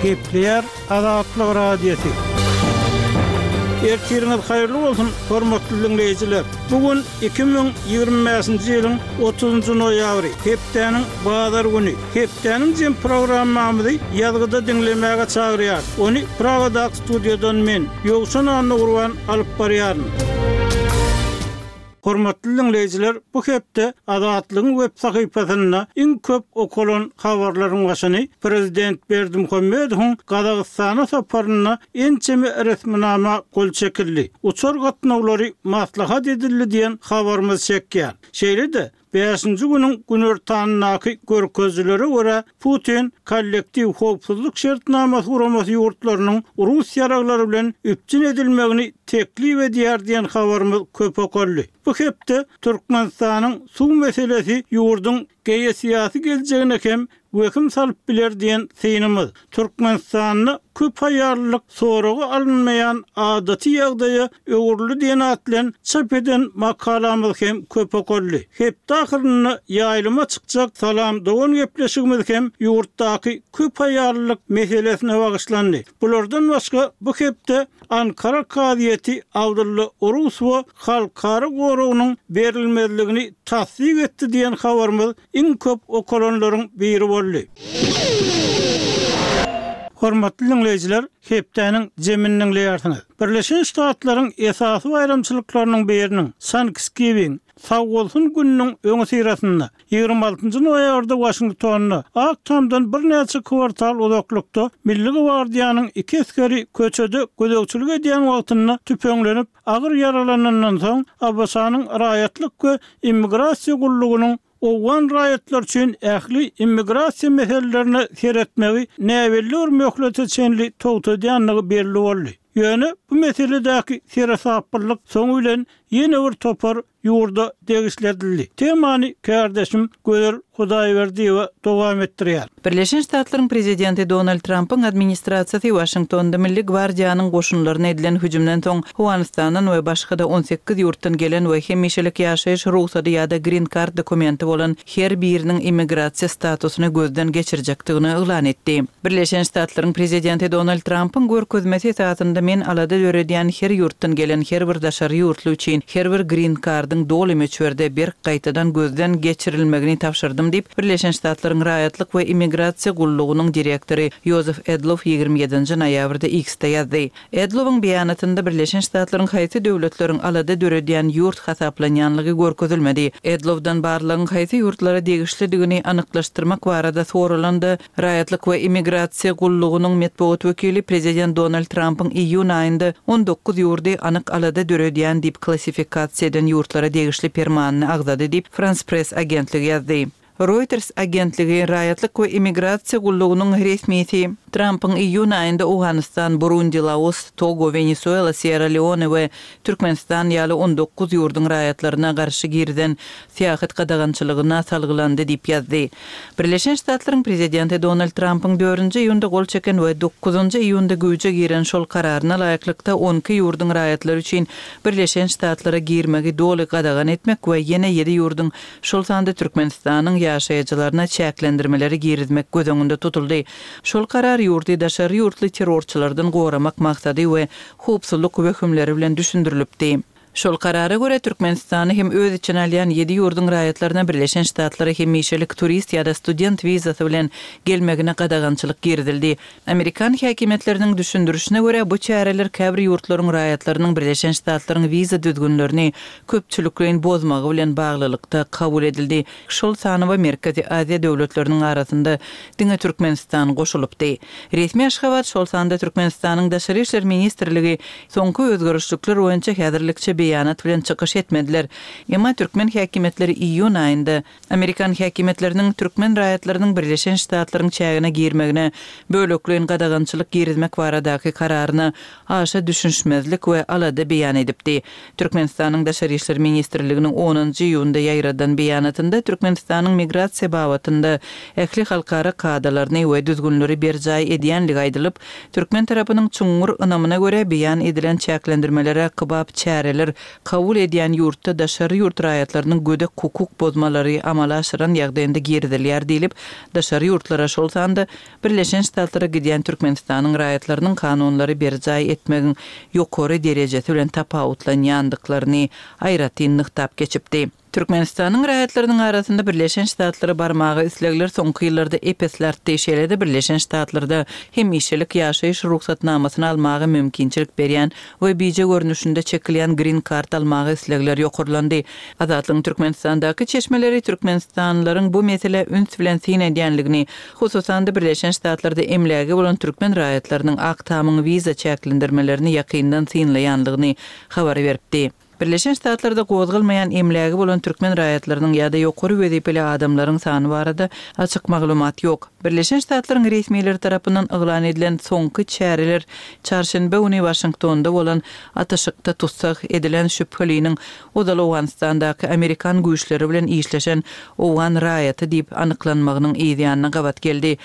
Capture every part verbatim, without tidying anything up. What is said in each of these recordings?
Gepleýär Azatlyk Radiosy. Ertiriňiz haýyrly bolsun, hormatly dinleýjiler. Bu gün iki müň ýigrimi bäşinji ýylyň otuzynjy noýabry, hepdäniň bazar güni. Hepdäniň jem programmamyzy ýazgyda diňlemäge çagyrýar. Ony Pragadaky studiýadan men, Ýowşan Annagurban alyp barýaryn. Hormatly dinleýjiler, bu hepde Azatlygyň web sahypasynda iň köp okalan habarlaryň başyny Prezident Berdimuhamedowyň Gazagystana saparynda ençeme resminama gol çekildi. Uçar gatnawlary maslahat edildi diýen habarymyz çekýär. Şeýle-de bäşinji günüň günortanyndaky görkezijilere görä Putin kollektiw howpsuzlyk şertnamasy guramasy ýurtlarynyň Rus ýaraglary bilen üpjün edilmegini teklip edýär diýen habarymyz köp okaldy. Bu hepde Türkmenistanyň suw meselesi ýurduň geosyýasy geljegine hem wehim salyp biler diýen synymyz. Türkmenistanda köp aýallyk soragy alynmaýan adaty ýagdaýa öwrüldi diýen at bilen çap eden makalamyz hem köp okaldy. Hepde ahyrynda ýaýlyma çykjak Salam dogan gepleşigimiz hem ýurtdaky köp aýallyk meselesine bagyşlandy. Bulardan başga bu hepde Ankara kazyýeti Abdulla Orusowa halkara goragynyň berilmezligini tassyk etdi diýen habarymyz iň köp okalanlaryň biri boldy. Hormatly dinleýjiler, hepdäniň jemini dinleýärsiňiz. Birleşen Ştatlaryň esasy baýramçylyklarynyň biriniň Thanksgiving, Sag bolsun gününiň öňi syrasynda ýigrimi altynjy noýabrda Waşingtonda Ak Tamdan birnäçe kwartal uzaklykda Milli Gwardiýanyň iki esgeri köçede gözegçilik edýän wagtynda tüpeňlenip agyr ýaralanandan soň ABŞ-nyň raýatlyk we immigrasiýa gullugynyň Owgan raýatlar üçin ähli immigrasiýa meselelerine seretmegi näbelli bir möhlete çenli togtadýandygy belli boldy. Ýöne bu meseledäki seresaplylyk soňy bilen ýene bir topar ýurda degişli edildi. Temany kardeşim Gözel Hudaýberdiýewa dowam etdirýär. Birleşen Ştatlaryň prezidenti Donald Trumpyň administrasiýasy Waşingtonda Milli Gwardiýanyň goşunlaryna edilen hüjümden soň Owganystandan we başga-da on sekiz ýurtdan gelen we hemişelik ýaşaýyş rugsady ýa-da green card dokumenti bolan her biriniň immigrasiýa statusyny gözden geçirjekdigini yglan etdi. Birleşen Ştatlaryň prezidenti Donald Trumpyň görkezmesi esasynda men alada döredýän her ýurtdan gelen her bir daşary ýurtly üçin her bir green cardyň doly möçberde berk gaýtadan gözden geçirilmegini tabşyrdym diýip, Birleşen Ştatlaryň raýatlyk we immigrasiýa gullugynyň direktory Joseph Edlow ýigrimi ýedinji noýabrda X-de ýazdy. Edlowyň beýanatynda Birleşen Ştatlaryň haýsy döwletleriň alada döredýän ýurt hasaplanýanlygy görkezilmedi. Edlowdan barlygyň haýsy ýurtlara degişlidigini anyklaşdyrmak barada soralanda, raýatlyk we immigrasiýa gullugynyň metbugat wekili prezident Donald Trumpyň iýun aýynda on dokuz ýurdy anyk alada döredýän diýip klassifikasiýa eden ýurtlara degişli permanyny agzady diýip France Press agentligi ýazdy. Reuters agentligi raýatlyk we immigrasiýa gullugynyň resmisi Trumpyň iýun aýynda Owganystan, Burundi, Laos, Togo, Wenesuela, Sierra Leone we Türkmenistan ýaly on dokuz ýurduň raýatlaryna garşy girizen syýahat gadagançylygyna salgylandy diýip ýazdy. Birleşen Ştatlaryň prezidenti Donald Trumpyň dördünji iýunda gol çeken we dokuzynjy iýunda güýje giren şol kararyna laýyklykda on iki ýurduň raýatlary üçin Birleşen Ştatlara girmegi doly gadagan etmek we ýene ýedi ýurduň, şol sanda Türkmenistanyň ýaşaýjylaryna çäklendirmeleri girizmek göz öňünde tutuldy. Şol karar ýurdy daşary ýurtly terrorçylardan goramak maksady we howpsuzlyk wehimleri bilen düşündirilipdi. Şol karara görä Türkmenistany hem öz içine alýan ýedi ýurduň raýatlaryna Birleşen Ştatlara hemişelik turist ýa-da student wizasy bilen gelmegine gadagançylyk girizildi. Amerikan häkimiýetleriniň düşündirişine görä bu çäreler käbir ýurtlaryň raýatlarynyň Birleşen Ştatlaryň wiza düzgünlerini köpçülikleýin bozmagy bilen baglylykda kabul edildi. Şol sanawa Merkezi Aziýa döwletleriniň arasynda diňe Türkmenistan goşulypdy. Resmi Aşgabat, şol sanda Türkmenistanyň Daşary işler ministrligi soňky özgerişlikler boýunça häzirlikçe beýanat bilen çykyş etmediler. Emma türkmen häkimiýetleri iýun aýynda Amerikan häkimiýetleriniň türkmen raýatlarynyň Birleşen Ştatlaryň çägine girmegine bölekleýin gadagançylyk girizmek baradaky kararyna aşa düşünişmezlik we alada beýan edipdi. Türkmenistanyň Daşary işler ministrliginiň onunjy iýunda ýaýradan beýanatynda Türkmenistanyň migrasiýa babatynda ähli halkara kadalaryny we düzgünleri berjaý edýänligi aýdylyp, türkmen tarapynyň çuňňur ynamyna görä beýan edilen çäklendirmelere kybap çäreler çäreler kabul edýän ýurtda daşary ýurt raýatlarynyň gödek hukuk bozmalary amala aşyran ýagdaýynda girizilýär diýlip, daşary ýurtlara, şol sanda Birleşen Ştatlara gidýän Türkmenistanyň raýatlarynyň kanunlary berjaý etmegiň ýokary derejesi bilen tapawutlanýandyklaryny aýratyn nygtap geçipdi. Türkmenistanyň raýatlarynyň arasynda Birleşen Ştatlara barmaga islegler soňky ýyllarda ep-esli artdy, şeýle-de Birleşen Ştatlarda hemişelik ýaşaýyş rugsatnamasyny almaga mümkinçilik berýän we bije görnüşinde çekilýän Green Card almaga islegler ýokarlandy. Azatlygyň Türkmenistandaky çeşmeleri türkmenistanlylaryň bu meselä üns bilen syn edýänligini, hususan-da Birleşen Ştatlarda emlägi bolan türkmen raýatlarynyň Ak Tamyň wiza çäklendirmelerini ýakyndan synlaýanlygyny habar beripdi. Birleşen Ştatlarda gozgalmaýan emlägi bolan türkmen raýatlarynyň ýa-da ýokary wezipeli adamlaryň sany barada açyk maglumat ýok. Birleşen Ştatlaryň resmileri tarapyndan yglan edilen soňky çäreler çarşenbe güni Waşingtonda bolan atyşykda tussag edilen şübheliniň ozal Owganystandaky amerikan güýçleri bilen işleşen owgan raýaty diýip anyklanmagynyň yzýanyna gabat geldi.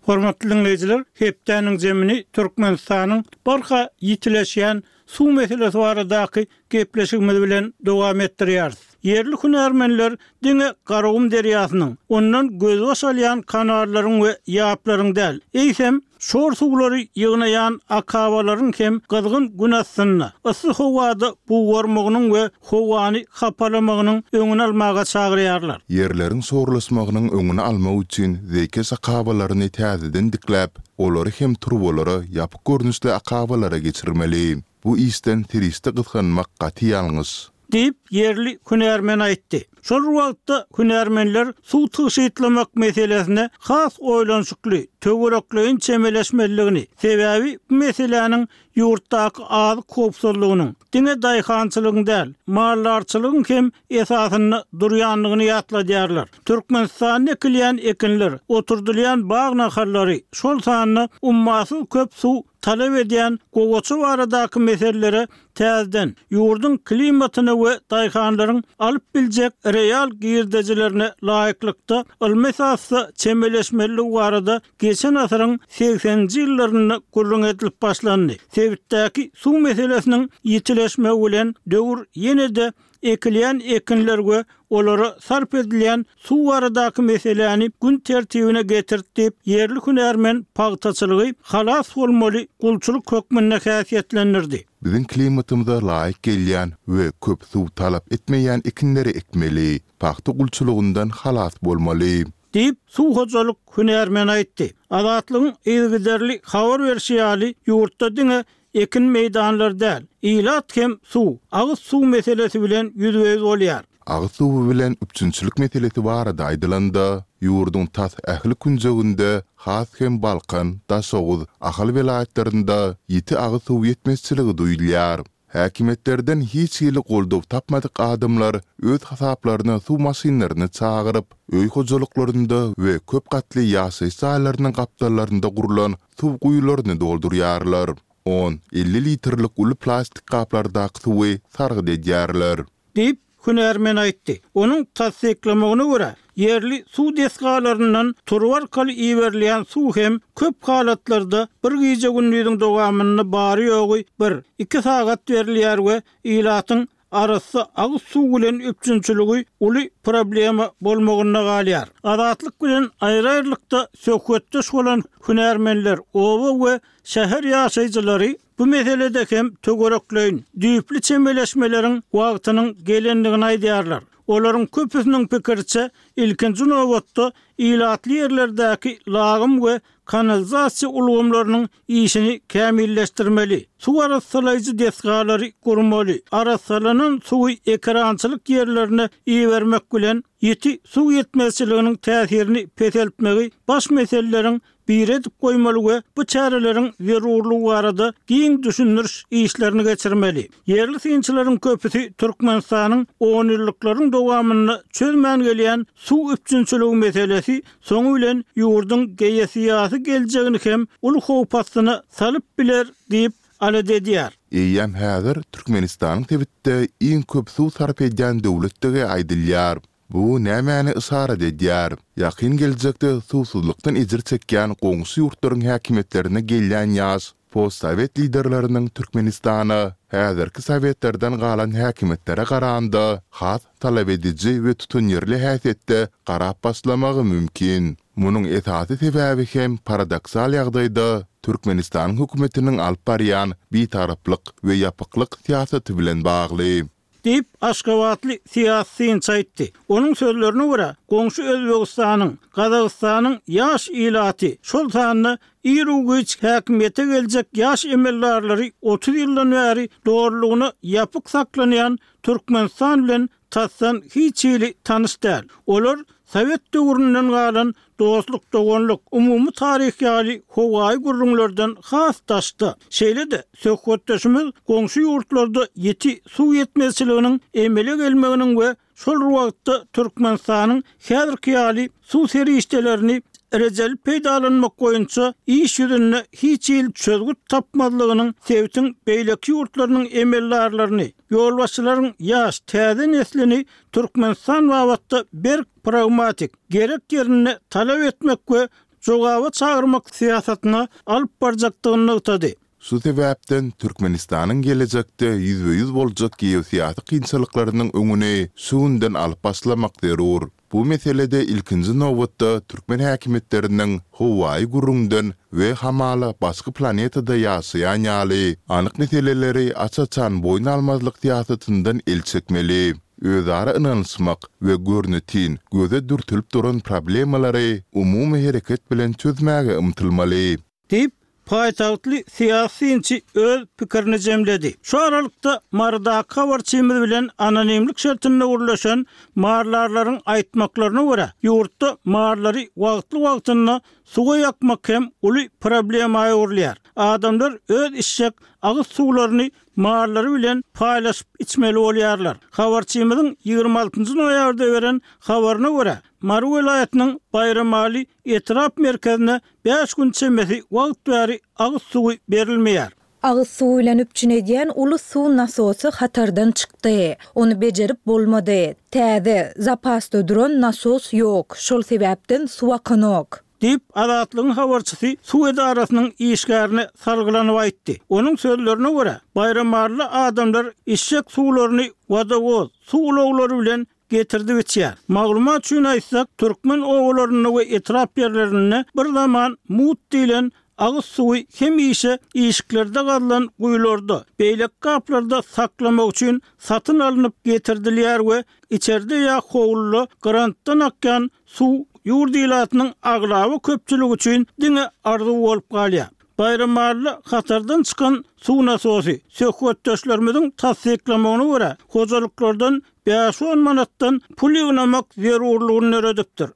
Hormatly diňleýjiler, hepdäniň zemini Türkmenistanyň barha ýitileşýän suw meselesi baradaky gepleşigimiz bilen dowam etdirýäris. Ýerli hünärmenler diňe Garagum derýasynyň, ondan gözbaş alýan kanallaryň we ýaplaryň däl, eýsem, şor suwlary ýygnaýan akabalaryň hem gyzgyn gün astynda, yssy howada bugarmagynyň we howany hapalamagynyň öňüni almaga çagyrýarlar. Ýerleriň şorlaşmagynyň öňüni almak üçin zeýkeş akabalaryny täzeden dikläp, olary hem turbalara, ýapyk görnüşli akabalara geçirmeli. Bu işden serişde gysganmak gaty ýalňyş. Diýip, ýerli hünärmen aýtdy. Şol bir wagtda, hünärmenler suw tygşytlamak meselesine has oýlanyşykly, töwerekleýin çemeleşmelidigini, sebäbi bu meseläniň ýurtdaky azyk howpsuzlygynyň, diňe daýhançylygyň däl, maldarçylygyň hem esasynda durýandygyny ýatladýarlar. Türkmenistanda ekilýän ekinler, oturdylýan bag nahallary, şol sanda ummasyz köp suw talap edýän gowaça baradaky meselelere täzeden, ýurduň klimatyna we daýhanlaryň alyp biljek real girdejilerine laýyklykda ylmy esasda çemeleşmelidigi barada geçen asyryň segseninji ýyllarynda gürrüň edilip başlandy. Sebitdäki suw meselesiniň ýitileşmegi bilen döwür ýene-de ekilýän ekinler we olara sarp edilýän suw baradaky meseläni gün tertibine getirdi diýip, ýerli hünärmen pagtaçylygy halas bolmaly gulçulyk hökmünde häsiýetlendirdi. Biziň klimatymyza laýyk gelýän we köp suw talap etmeýän ekinleri ekmeli. Pagta gulçulygyndan halas bolmaly. Diýip, suw hojalyk hünärmeni aýtdy. Azatlygyň yzygiderli habar berşi ýaly, ýurtda diňe ekin meýdanlary däl, ilat hem suw, agyz suw meselesi bilen ýüzbe-ýüz bolýar. Agyz suwy bilen üpjünçilik meselesi barada aýdylanda, ýurduň tas ähli künjeginde, has hem Balkan, Daşoguz, Ahal welaýatlarynda ýiti agyz suw ýetmezçiligi duýulýar. Häkimiýetlerden hiç hili goldaw tapmadyk adamlar öz hasaplaryna suw maşynlaryny çagyryp, öý hojalyklarynda we köp gatly ýaşaýyş jaýlarynyň gapdallarynda gurlan suw guýularyny doldurýarlar. On, elli litrlik uly plastik gaplardaky suwy sargyt edýärler. Diýip, hünärmen aýtdy. Onuň tassyklamagyna görä, ýerli suw desgalaryndan turba arkaly iberilýän suw hem köp halatlarda bir gije-gündiziň dowamynda bary-ýogy bir, iki sagat berilýär we ilatyň arassa agyz suw bilen üpjünçiligi uly problema bolmagynda galýar. Azatlyk bilen aýry-aýrylykda söhbetdeş bolan hünärmenler, oba we şäher ýaşaýjylary bu meselede hem töwerekleýin, düýpli çemeleşmeleriň wagtynyň gelendigini aýdýarlar. Olaryň köpüsiniň pikiriçe, ilkinji nobatda ilatly ýerlerdäki lagym we kanalizasiýa ulgamlarynyň işini kämilleşdirmeli, suw arassalaýjy desgalary gurmaly, arassalanan suwy ekerançylyk ýerlerine ibermek bilen, ýiti suw ýetmezçiliginiň täsirini peseltmegi baş meseleleriň biri edip goýmaly we bu çäreleriň zerurlygy barada giň düşündiriş işlerini geçirmeli. Ýerli synçylaryň köpüsi Türkmenistanyň onýyllyklaryň dowamynda çözmän gelýän suw üpjünçiligi meselesi soňy bilen ýurduň geosyýasy geljegini hem uly howp astyna salyp biler diýip alada edýär. Eýýäm häzir Türkmenistanyň sebitde iň köp suw sarp edýän döwletdigi aýdylýar. Bu nämäni yşarat edýär? Ýakyn geljekde suwsuzlykdan ejir çekýän goňşy ýurtlaryň häkimiýetlerine gelýän ýaş postsowet liderleriniň Türkmenistana häzirki sowetlerden galan häkimiýetlere garanda has talabediji we tutanýerli häsiýetde garap başlamagy mümkin. Munuň esasy sebäbi hem paradoksal ýagdaýda Türkmenistanyň hökümetiniň alyp barýan bitaraplyk we ýapyklyk syýasaty bilen bagly. Diýip, aşgabatly syýasy synçy aýtdy. Onuň sözlerine görä, goňşy Özbegistanyň, Gazagystanyň ýaş ilaty, şol sanda iru-giç häkimiýete geljek ýaş emeldarlary otuz ýyldan bäri dolulygyna ýapyk saklanýan Türkmenistan bilen tasdan hiç hili tanyş däl. Olar sowet döwründen galan dostluk-doganlyk, umumy taryh ýaly howaýy gürrüňlerden has daşda. Şeýle-de, söhbetdeşimiz goňşy ýurtlarda ýiti suw ýetmezçiliginiň emele gelmeginiň we şol bir wagtda Türkmenistanyň häzirki ýaly suw serişdelerini rejeli peýdalanmak boýunça iş ýüzünde hiç hili çözgüt tapmazlygynyň sebitiň beýleki ýurtlarynyň emeldarlaryny, ýolbaşçylaryň ýaş, täze neslini Türkmenistan babatda berk pragmatik, gerek ýerinde talap etmek we jogaba çagyrmak syýasatyna alyp barjakdygyny nygtady. Şu sebäpden Türkmenistanyň gelejekde ýüzbe-ýüz boljak geosyýasy kynçylyklarynyň öňüni şu günden alyp başlamak zerur. Bu meselede ilkinji nobatda türkmen häkimiýetleriniň howaýy gürrüňden we hamala başga planetada ýaşaýan ýaly anyk meseleleri aç-açan boýun almazlyk syýasatyndan el çekmeli. Özara ynanyşmak we görnetin, göze dürtülip duran problemalary umumy hereket bilen çözmäge ymtylmaly. Diýip, paýtagtly syýasy synçy öz pikirini jemledi. Şu aralykda, Marydaky habarçymyz bilen anonimlik şertinde gürleşen marylarlaryň aýtmaklaryna görä, ýurtda marlary wagtly-wagtynda suwa ýakmak hem uly problema öwrülýär. Adamlar öz içjek agyz suwlaryny marlary bilen paýlaşyp içmeli bolýarlar. Habarçymyzyň ýigrimi altynjy noýabrda beren habaryna görä, Mary welaýatynyň Baýramaly etrap merkezine bäş gün çemesi wagt bäri agyz suwy berilmeýär. Agyz suwy bilen üpjün edýän uly suw nasosy hatardan çykdy. Ony bejerip bolmady. Täze, zapasda duran nasos ýok, şol sebäpden suw akanok. Diýip, Azatlygyň habarçysy suw edarasynyň işgärine salgylanyp aýtdy. Onuň sözlerine görä, baýramalyly adamlar içjek suwlaryny wodowoz, suw ulaglary bilen getirdip içýär. Maglumat üçin aýtsak, türkmen obalarynda we etrap ýerlerinde bir zaman mugt diýlen agyz suwy hemişe işiklerde gazylan guýularda, beýleki gaplarda saklamak üçin satyn alnyp getirdilýär we içerde ýa howluda grantdan akýan suw ýurt ilatynyň aglaba köpçüligi üçin diňe arzuw bolup galýar. Baýramalyda hatardan çykan suw nasosy, söhbetdeşlerimiziň tassyklamagyna görä, hojalyklardan bäş-on manatdan pul ýygnamak zerurlygyny döredipdir.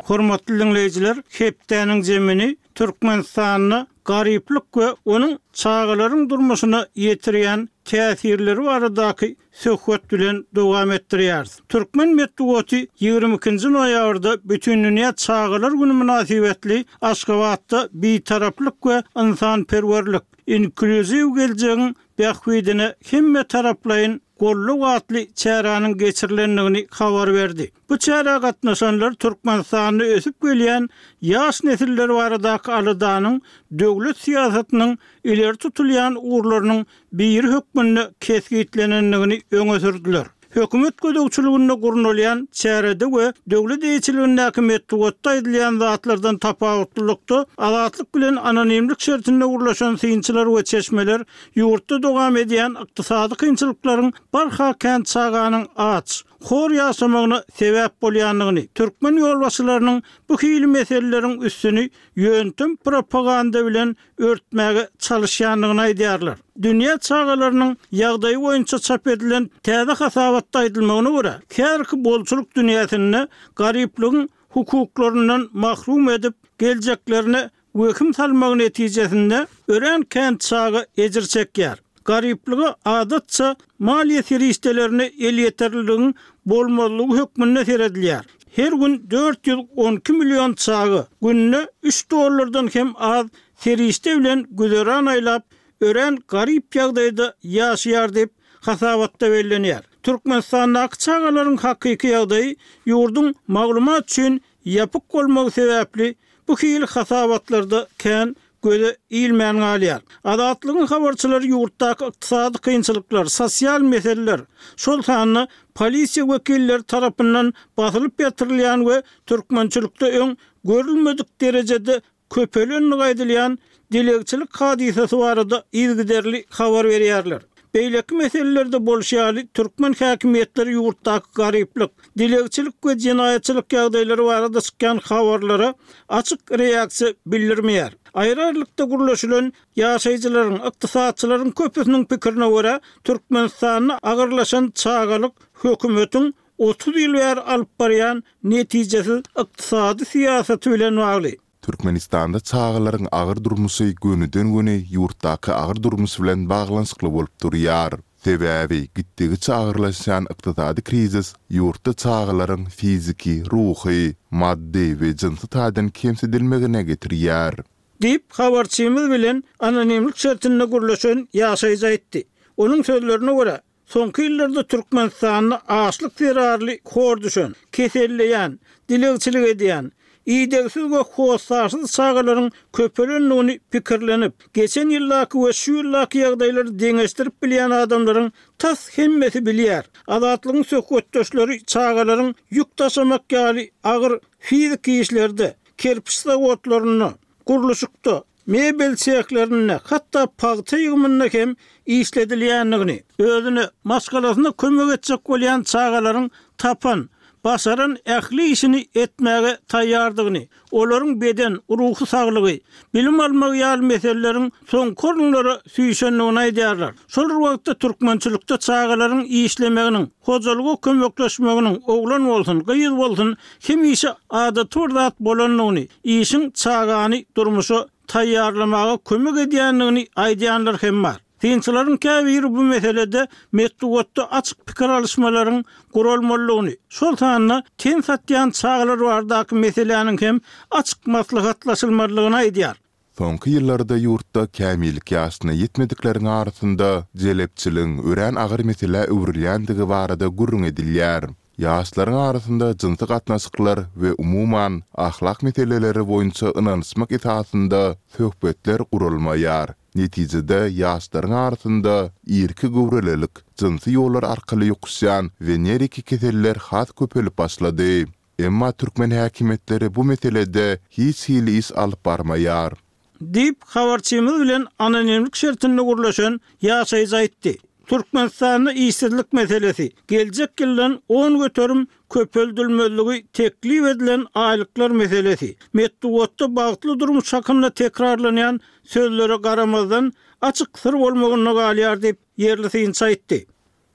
Hormatly diňleýjiler, hepdäniň jemini Türkmenistanda garyplyk we onuň çagalaryň durmuşyna ýetirýän täsirleri baradaky söhbet bilen dowam etdirýäris. Türkmen metbugaty ýigrimi ikinji noýabrda Bütindünýä çagalar güni mynasybetli Aşgabatda Bitaraplyk we ynsanperwerlik, inklýuziw geljegiň bähbidine hemmetaraplaýyn goldaw atly çäräniň geçirilendigini habar berdi. Bu çärä gatnaşanlar Türkmenistanda ösüp gelýän ýaş nesiller baradaky aladanyň döwlet syýasatynyň ileri tutulýan ugurlarynyň biri hökmünde kesgitlenendigini öňe sürdüler. Hökümet gözegçiliginde gurnalýan çärede we döwlet eýeçiligindäki metbugatda aýdylýan zatlardan tapawutlylykda, Azatlyk bilen anonimlik şertinde gürleşen synçylar we çeşmeler ýurtda dowam edýän ykdysady kynçylyklaryň barha kän çaganyň aç, hor ýaşamagyna sebäp bolýandygyny, türkmen ýolbaşçylarynyň bu hili meseleleriň üstüni ýöntem propaganda bilen örtmäge çalyşýandygyny aýdýarlar. Dünýä çagalarynyň ýagdaýy boýunça çap edilen täze hasabatda aýdylmagyna görä, häzirki bolçulyk dünýäsinde garyplygyň hukuklaryndan mahrum edip, geljeklerine wehim salmagy netijesinde örän kän çaga ejir çekýär. Garyplyga adatça maliýe serişdelerine elýeterliligiň bolmazlygy hökmünde seredilýär. Her gün dört ýüz on iki million çaga günde üç dollardan hem az serişde bilen güzeran aýlap, örän garyp ýagdaýda ýaşaýar diýip, hasabatda bellenýär. Türkmenistandaky çagalaryň hakyky ýagdaýy ýurduň maglumat üçin ýapyk bolmagy sebäpli bu hili hasabatlarda kän göze ilmän galýar. Azatlygyň habarçylary ýurtdaky ykdysady kynçylyklar, sosial meseleler, şol sanda polisiýa wekilleri tarapyndan basylyp ýatyrylýan we türkmençilikde öň görülmedik derejede köpelendigi aýdylýan dilegçilik hadysasy barada yzygiderli habar berýärler. Beýleki meselelerde bolşy ýaly, türkmen häkimiýetleri ýurtdaky garyplyk, dilegçilik we jenaýatçylyk ýagdaýlary barada çykýan habarlara açyk reaksiýa bildirmeýär. Aýry-aýrylykda gürleşilen ýaşaýjylaryň, ykdysatçylaryň köpüsiniň pikirine görä, Türkmenistanda agyrlaşan çagalyk hökümetiň otuz ýyl bäri alyp barýan netijesiz ykdysady syýasaty bilen bagly. Türkmenistanda çagalaryň agyr durmuşy gönüden-göni ýurtdaky agyr durmuş bilen baglanyşykly bolup durýar. Sebäbi gitdigiçe agyrlaşýan ykdysady krizis ýurtda çagalaryň fiziki, ruhy, maddy we jynsy taýdan kemsidilmegine getirýär. Diýip, habarçymyz bilen anonimlik şertinde gürleşen ýaşaýjy aýtdy. Onuň sözlerine görä, soňky ýyllarda Türkmenistanda açlyk zerarly hor düşen, keselleýän, dilegçilik edýän, idegsiz we hossarsyz çagalaryň köpelendigini pikirlenip, geçen ýyldaky we şu ýyldaky ýagdaýlary deňeşdirip bilýän adamlaryň tas hemmesi bilýär. Azatlygyň söhbetdeşleri çagalaryň ýük daşamak ýaly agyr fiziki işlerde, kerpiç zawodlarynda, gurluşykda, mebel sehlerinde, hatda pagta ýygymynda hem işledilýändigini, özüne, maşgalasyna kömek etjek bolýan çagalaryň tapan, başaran ähli işini etmäge taýýardygyny, olaryň beden, ruhy saglygy, bilim almagy ýaly meseleleriň soňky orunlara süýşendigini aýdýarlar. Şol bir wagtda türkmençilikde çagalaryň işlemeginiň, hojalyga kömekleşmeginiň, oglan bolsun, gyz bolsun, hemişe adaty bir zat bolandygyny, işiň çagany durmuşa taýýarlamaga kömek edýändigini aýdýanlar hem bar. Synçylaryň käbiri bu meselede metbugatda açyk pikir alyşmalaryň guralmalydygyny, şol sanda ten satýan çagalar baradaky meseläniň hem açyk maslahatlaşylmalydygyny aýdýar. Soňky ýyllarda ýurtda kämillik ýaşyna ýetmedikleriň arasynda jelepçiligiň örän agyr meselä öwrülýändigi barada gürrüň edilýär. Ýaşlaryň arasynda jynsy gatnaşyklar we umuman, ahlak meseleleri boýunça ynanyşmak esasynda söhbetler guralmaýar. Netijede, ýaşlaryň arasynda irki göwrelilik, jynsy ýollar arkaly ýokuşýan weneriki keseller has köpelip başlady. Emma türkmen häkimiýetleri bu meselede hiç hili iş alyp barmaýar. Diýip, habarçymyz bilen anonimlik şertinde gürleşen ýaşaýjy aýtdy. Türkmenistanda işsizlik meselesi, geljek ýyldan on göterim köpeldilmezligi teklip edilen aýlyklar meselesi, metbugatda bagtly durmuş hakynda tekrarlanýan sözlere garamazdan, açyk syr bolmagynda galýar diýip, ýerli synçy aýtdy.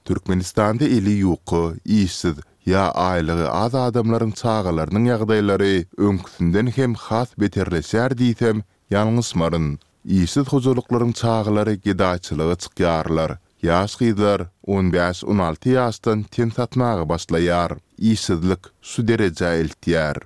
Türkmenistanda eli ýuka, işsiz ýa aýlygy az adamlaryň çagalarynyň ýagdaýlary öňküsinden hem has beterleşýär diýsem, ýalňyşmaryn. Işsiz hojalyklaryň çagalary gedaýçylyga çykýarlar. Ýaş gyzlar on bäş-on alty ýaşdan ten satmaga başlaýar. Işsizlik şu derejä eltýär.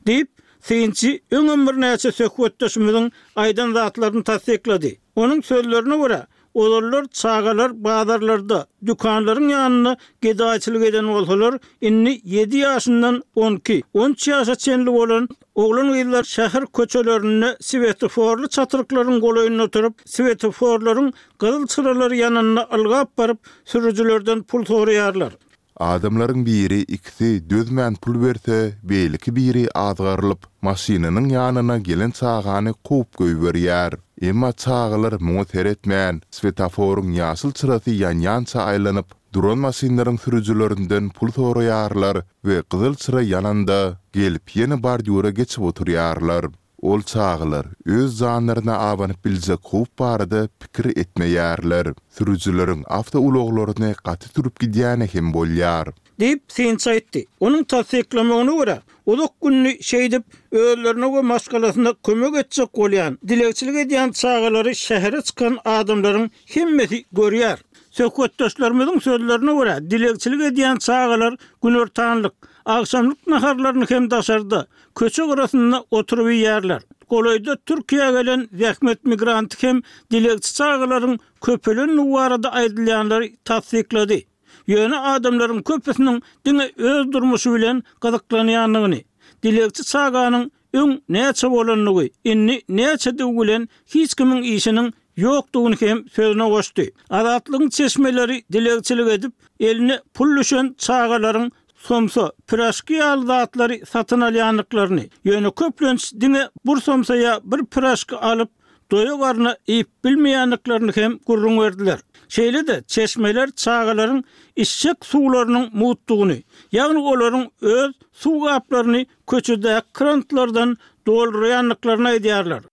Diýip, synçy öňem birnäçe söhbetdeşimiziň aýdan zatlaryny tassyklady. Onuň sözlerine görä, ozallar çagalar bazarlarda, dükanlaryň ýanynda gedaýçylyk eden bolsalar, indi ýedi ýaşyndan on iki, on üç ýaşa çenli bolan oglan-gyzlar şäher köçelerinde swetoforly çatryklaryň golaýynda oturyp, swetoforlaryň gyzyl çyralary ýanynda ylgap baryp, sürüjilerden pul soraýarlar. Adamlaryň biri ikisi dözmän pul berse, beýleki biri azgarylyp, maşynynyň ýanyna gelen çagany kowup goýberýär. Emma çagalar muňa seretmän, swetoforyň ýaşyl çyrasy ýanýança aýlanyp, duran maşynlaryň sürüjilerinden pul soraýarlar we gyzyl çyra ýananda, gelip ýene bordýura geçip oturýarlar. Ol çagalar öz janlaryna abanyp biljek howp barada pikir etmeýärler. Sürüjileriň awtoulaglaryny gaty sürüp gidýäni hem bolýar. Diýip, synçy aýtdy. Onuň tassyklamagyna görä, uzak gününi şeýdip, özlerine we maşgalasyna kömek etjek bolýan, dilegçilik edýän çagalary şähere çykan adamlaryň hemmesi görýär. Söhbetdeşlerimiziň sözlerine görä, dilegçilik edýän çagalar günortanlyk, agşamlyk naharlaryny hem daşarda, köçe gyrasynda oturyp iýýärler. Golaýda Türkiýä gelen zähmet migranty hem dilegçi çagalaryň köpelendigi barada aýdylýanlary tassyklady. Ýöne adamlaryň köpüsiniň diňe öz durmuşy bilen gyzyklanýandygyny, dilegçi çaganyň öň näçe bolandygy, indi näçedigi bilen hiç kimiň işiniň ýokdugyny hem sözüne goşdy. Azatlygyň çeşmeleri dilegçilik edip, eline pul düşen çagalaryň somsa, piraşki ýaly zatlary satyn alýandyklaryny, ýöne köplenç diňe bir somsa ýa bir piraşki alyp, doýa garna iýip bilmeýändiklerini hem gürrüň berdiler. Şeýle-de çeşmeler çagalaryň içjek suwlarynyň mugtdugyny, ýagny olaryň öz suw gaplaryny köçedäki krantlardan doldurýandyklaryny aýdýarlar.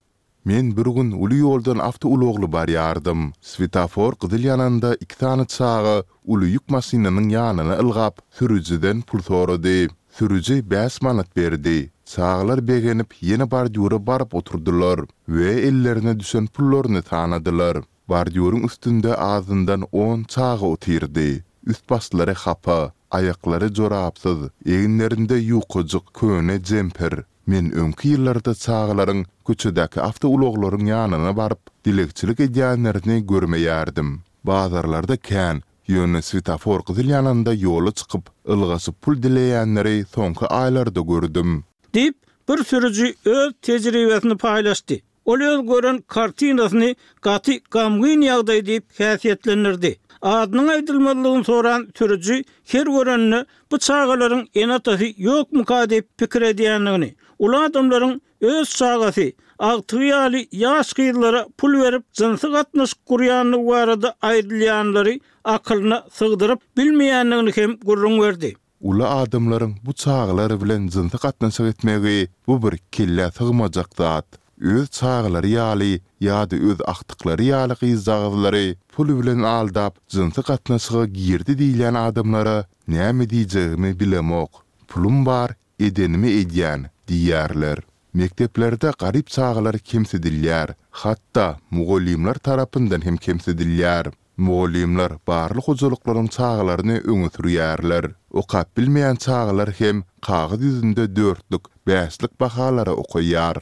Men bir gün uly ýoldan awtoulagly barýardym. Swetofor gyzyl ýananda iki sany çaga uly ýük maşynynyň ýanyna ylgap, sürüjiden pul sorady. Sürüji bäş manat berdi. Çagalar begenip, ýene bordýura baryp oturdylar we ellerine düşen pullaryny sanadylar. Bordýuryň üstünde azyndan on çaga otyrdy. Üst-başlary hapa, aýaklary jorapsyz, eginlerinde ýukajyk köne jemper. Men öňki ýyllarda çagalaryň köçedäki awtoulaglaryň ýanyna baryp, dilegçilik edýänlerini görmeýärdim. Bazarlarda kän, ýöne swetofor gyzyl ýananda ýola çykyp, ylgaşyp pul dileýänleri soňky aýlarda gördüm. Diýip, bir sürüji öz tejribesini paýlaşdy. Ol öz gören kartinasyny gaty gamgyn ýagdaý diýip häsiýetlendirdi. Adynyň aýdylmazlygyny soran sürüji her göreninde bu çagalaryň ene-atasy ýokmuka diýip pikir edýändigini, uly adamlaryň öz çagasy, agtygy ýaly ýaş gyzlara pul berip jynsy gatnaşyk gurýandygy barada aýdylýanlary akylyna sygdyryp bilmeýändigini hem gürrüň berdi. Uly adamlaryň bu çagalar bilen jynsy gatnaşyk etmegi bu bir kellä sygmajak zat. Öz çagalary ýaly ýa-da öz agtyklary ýaly gyzjagazlary pul bilen aldap jynsy gatnaşyga girdi diýilýän adamlara näme diýjegimi bilemok. Pulum bar, edenimi edýän diýýärler. Mekdeplerde garyp çagalar kemsidilýär, hatda mugallymlar tarapyndan hem kemsidilýär. Mugallymlar barly hojalyklaryň çagalaryny öňe sürýärler. Okap bilmeýän çagalar hem kagyz ýüzünde dörtlük, bäşlik bahalara okaýar.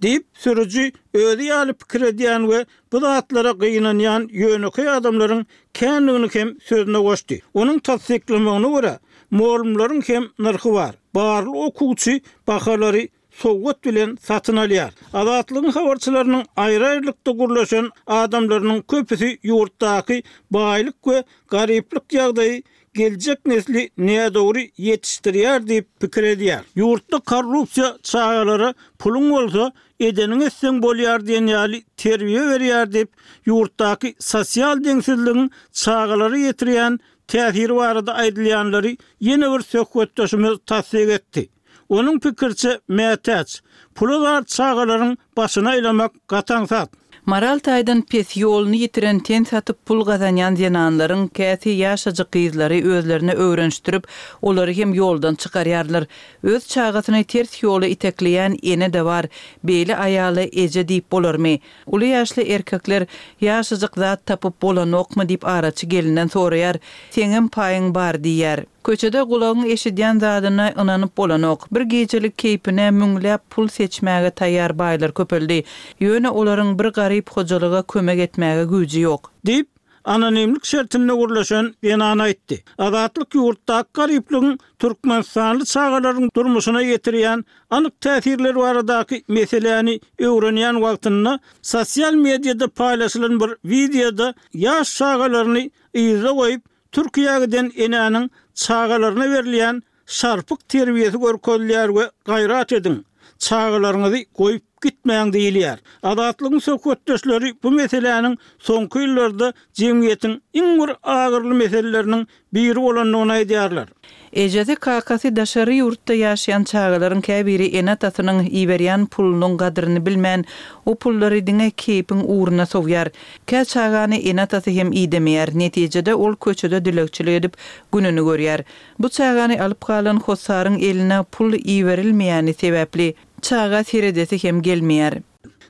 Diýip, sürüji özi ýaly pikir edýän we bu zatlara gynanýan ýönekeý adamlaryň kändigini hem sözüne goşdy. Onuň tassyklamagyna görä, mugallymlaryň hem nyrhy bar. Barly okuwçy bahalary sowgat bilen satyn alýar. Azatlygyň habarçylarynyň aýry-aýrylykda gürleşen adamlarynyň köpüsi ýurtdaky baýlyk we garyplyk ýagdaýy geljek nesli nädogry ýetişdirýär diýip pikir edýär. Ýurtda korrupsiýa çagalara puluň bolsa edeniň etseň bolýar diýen ýaly terbiýe berýär diýip, ýurtdaky sosial deňsizligiň çagalara ýetirýän täsiri barada aýdylýanlary ýene bir söhbetdeşimiz tassyk etdi. Onuň pikirçe mätäç, pula zar çagalaryň başyna aýlamak gaty aňsat. Moral taýdan pes ýoluny ýitiren ten satyp pul gazanýan zenanlaryň käsi ýaşajyk gyzlary özlerine öwrenişdirip, olary hem ýoldan çykarýarlar. Öz çagasyny ters ýola itekleýän ene-de bar, beýle aýaly eje diýip bolarmy? Uly ýaşly erkekler ýaşajyk zat tapyp bolanokmy diýip araçy gelinden soraýar. Seňem paýyň bar diýýär. Köçede gulagyň eşidýän zadyna ynanyp bolanok. Bir gijelik keýpine müňläp pul seçmäge taýýar baýlar köpeldi. Ýöne olaryň bir garyp hojalyga kömek etmäge güýji ýok. Diýip, anonimlik şertinde gürleşen zenan aýtdy. Azatlyk ýurtdaky garyplygyň Türkmenistanly çagalaryň durmuşyna ýetirýän anyk täsirleri baradaky meseläni öwrenýän wagtynda sosial mediada paýlaşylan bir wideoda ýaş çagalaryny yzda goýup Türkiýä giden enäniň çagalaryna berilýän şarpyk terbiýesi görkezilýär we gaýrat ediň, çagalaryňyzy goýup gitmäň diýilýär. Azatlygyň söhbetdeşleri bu meseläniň soňky ýyllarda jemgyýetiň iň bir agyrly meseleleriniň biri bolandygyny aýdýarlar. Ejesi kakasy daşary ýurtda ýaşaýan çagalaryň käbiri ene-atasynyň iberýän pulunyň gadryny bilmän, o pullary diňe keýpiň ugruna sowýar. Kä çagany ene-atasy hem idemeýär. Netijede ol köçede dilegçilik edip gününi görýär. Bu çagany alyp galan hossaryň eline pul iberilmeýäni sebäpli çaga seredesi hem gelmeýär.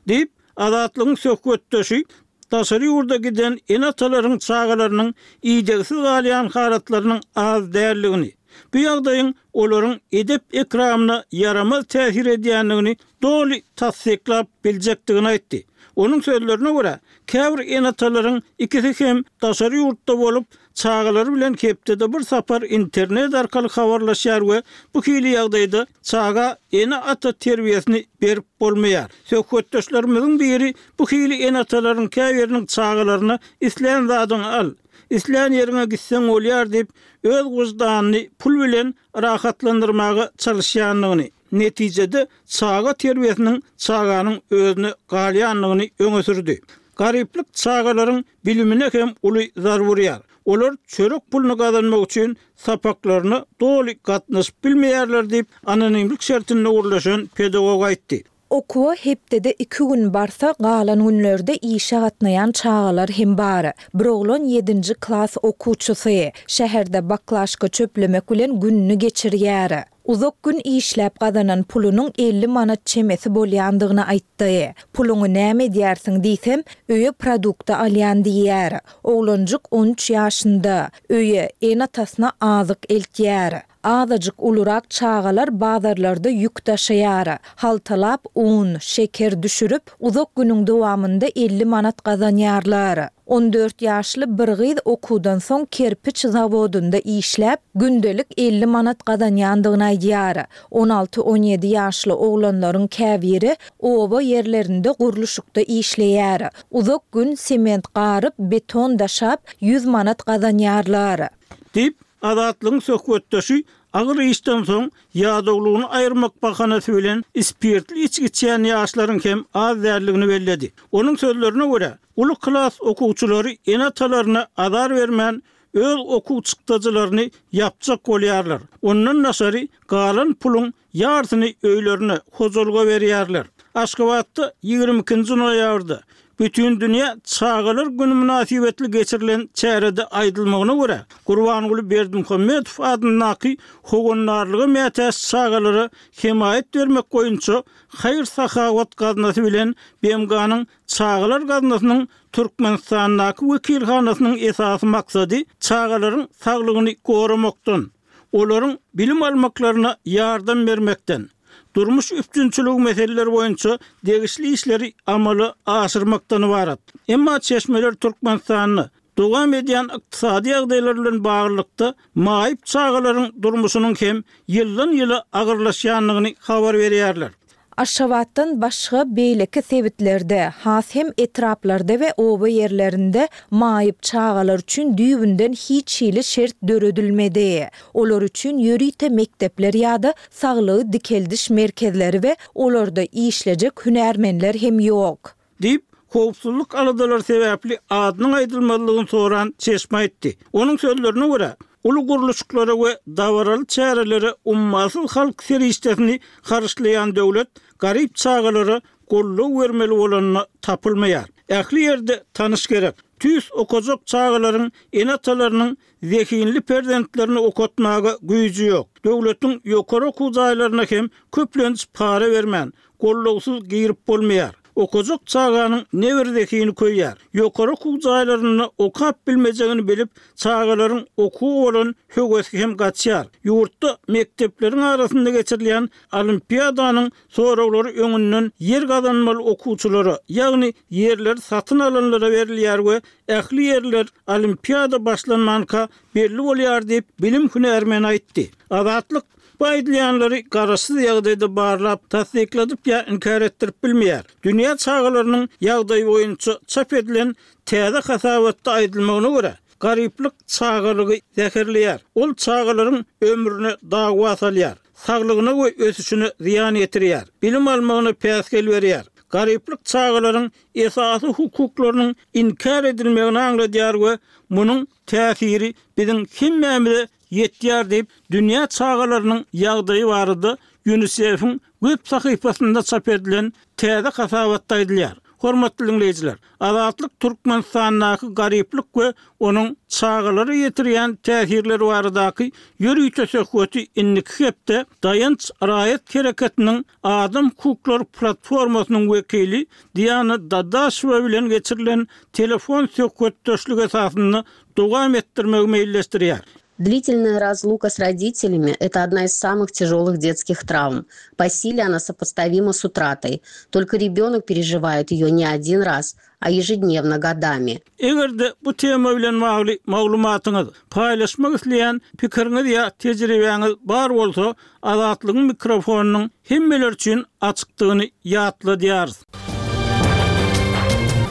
Diýip, Azatlygyň söhbetdeşi daşary ýurda giden ene-atalaryň çagalarynyň idegsiz galýan halatlarynyň az däldigini, bu ýagdaýyň olaryň edep ekramyna ýaramaz täsir edýändigini doly tassyklap biljekdigini aýtdy. Onuň sözlerine görä, käbir ene-atalaryň ikisi hem daşary ýurtda bolup, çagalary bilen hepdede bir sapar internet arkaly habarlaşýar we bu hili ýagdaýda çaga ene-ata terbiýesini berip bolmaýar. Söhbetdeşlerimiziň biri bu hili ene-atalaryň käbiriniň çagalaryna islän zadyňy al, islän ýeriňe gitseň bolýar diýip, öz wyždanyny pul bilen rahatlandyrmaga çalyşýandygyny, netijede çaga terbiýesiniň çaganyň özüne galýandygyny öňe sürdi. Garyplyk çagalaryň bilimine hem uly zarba urýar. Olar çörek puluny gazanmak üçin sapaklaryna doly gatnaşyp bilmeýärler diýip, anonimlik şertinde gürleşen pedagog aýtdy. Okuwa hepdede iki gün barsa, galan günlerde işe gatnaýan çagalar hem bar. Bir oglan ýedinji klas okuwçysy. Şäherde baklaşka çöplemek bilen gününi geçirýär. Uzak gün işläp gazanan pulunyň elli manat çemesi bolýandygyny aýtdy. Puluňy näme edýärsiň diýsem, öýe produkta alýan diýýär. Oglanjyk on üç ýaşynda, öýe ene-atasyna azyk eltýär. Azajyk ulurak çagalar bazarlarda ýük daşaýar. Haltalap un, şeker düşürip, uzak günüň dowamynda elli manat gazanýarlar. On dört ýaşly bir gyz okuwdan soň kerpiç zawodynda işläp, gündelik elli manat gazanýandygyny aýdýar. On alty-on ýedi ýaşly oglanlaryň käbiri oba ýerlerinde gurluşykda işleýär. Uzak gün sement garyp, beton daşap, ýüz manat gazanýarlar. Diýip, Azatlygyň söhbetdeşi agyr işden soň ýadawlygyny aýyrmak bahanasy bilen spirtli içgi içýän ýaşlaryň hem az däldigini belledi. Onuň sözlerine görä, uly klas okuwçylary ene-atalaryna azar bermän öz okuw çykdajylaryny ýapjak bolýarlar. Ondan daşary galan puluň ýarsyny öýlerine, hojalyga berýärler. Aşgabatda ýigrimi ikinji noýabrda Bütün dünýä çagalar günü mynasybetli geçirilen çärede aýdylmagyna görä, Gurbanguly Berdimuhamedow adyndaky howandarlyga mätäç çagalara hemaýat bermek boýunça haýyr-sahawat gaznasy bilen B M G-nyň Çagalar gaznasynyň Türkmenistandaky wekilhanasynyň esasy maksady çagalaryň saglygyny goramakdan, olaryň bilim almaklaryna ýardam bermekden, durmuş üpjünçiligi meseleleri boýunça degişli işleri amala aşyrmakdan ibarat. Emma çeşmeler Türkmenistanda dowam edýän ykdysady ýagdaýlar bilen baglylykda maýyp çagalaryň durmuşynyň hem ýyldan ýyla agyrlaşýandygyny habar berýärler. Aşgabatdan başga beýleki sebitlerde, has hem etraplarda we oba ýerlerinde maýyp çagalar üçin düýbünden hiç hili şert döredilmedi. Olar üçin ýörite mekdepler ýa-da saglygy dikeldiş merkezleri we olarda işlejek hünärmenler hem ýok. Diýip, howpsuzlyk aladalary sebäpli adynyň aýdylmazlygyny soran çeşme aýtdy. Onuň sözlerine görä, uly gurluşyklara we dabaraly çärelere ummasyz halk serişdesini harçlaýan döwlet garyp çagalara goldaw bermeli bolanyna tapylmaýar. Ähli ýerde tanyş gerek. Tüýs okajak çagalaryň ene-atalarynyň zehinli perzentlerini okatmaga güýji ýok. Döwletiň ýokary okuw jaýlaryna hem köplenç para bermän, gollawsyz girip bolmaýar. Okajak çaganyň ne bir zehini köýýär. Ýokary okuw jaýlarynda okap bilmejegini bilip, çagalaryň okuwy bolan höwesi hem gaçýar. Ýurtda mekdepleriň arasynda geçirilýän olimpiadanyň soraglary öňünden ýer gazanmaly okuwçylara, ýagny ýerleri satyn alanlara berilýär we ähli ýerler olimpiada başlanmanka belli bolýar diýip bilim hünärmeni aýtdy. Azatlyk bu aýdylýanlary garaşsyz ýagdaýda barlap, tassykladyp ýa inkär etdirip bilmeýär. Dünýä çagalarynyň ýagdaýy boýunça çap edilen täze hasabatda aýdylmagyna görä, garyplyk çagalygy zäherleýär. Ol çagalaryň ömrüne dawa salýar, saglygyna we ösüşine zyýan ýetirýär, bilim almagyna päsgel berýär. Garyplyk çagalaryň esasy hukuklarynyň inkär edilmegini aňladýar we munuň täsiri biziň hemmämize ýetýär diýip, dünýä çagalarynyň ýagdaýy barada UNICEF-iň web sahypasynda çap edilen täze hasabatda aýdylýar. Hormatly dinleýjiler, Azatlyk Türkmenistandaky garyplyk we onuň çagalara ýetirýän täsirleri baradaky ýörite söhbeti indiki hepde Daýanç raýat hereketiniň Adam hukuklary platformasynyň wekili Diana Dadaşewa bilen geçirilen telefon söhbetdeşligi esasynda dowam etdirmegi meýilleşdirýär. Длительная разлука с родителями – это одна из самых тяжелых детских травм. По силе она сопоставима с утратой. Только ребенок переживает ее не один раз, а ежедневно годами. Eger-de bu tema bilen bagly maglumatyňyz, paýlaşmak isleýän pikiriňiz ýa tejribäňiz bar bolsa, Azatlygyň mikrofonynyň hemmeler üçin açykdygyny ýatladýarys.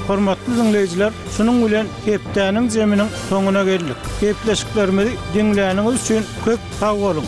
Hormatly diňleýjiler, şunuň bilen hepdäniň zeminiň soňuna geldik. Gepleşiklerimizi diňläniňiz üçin köp sag boluň.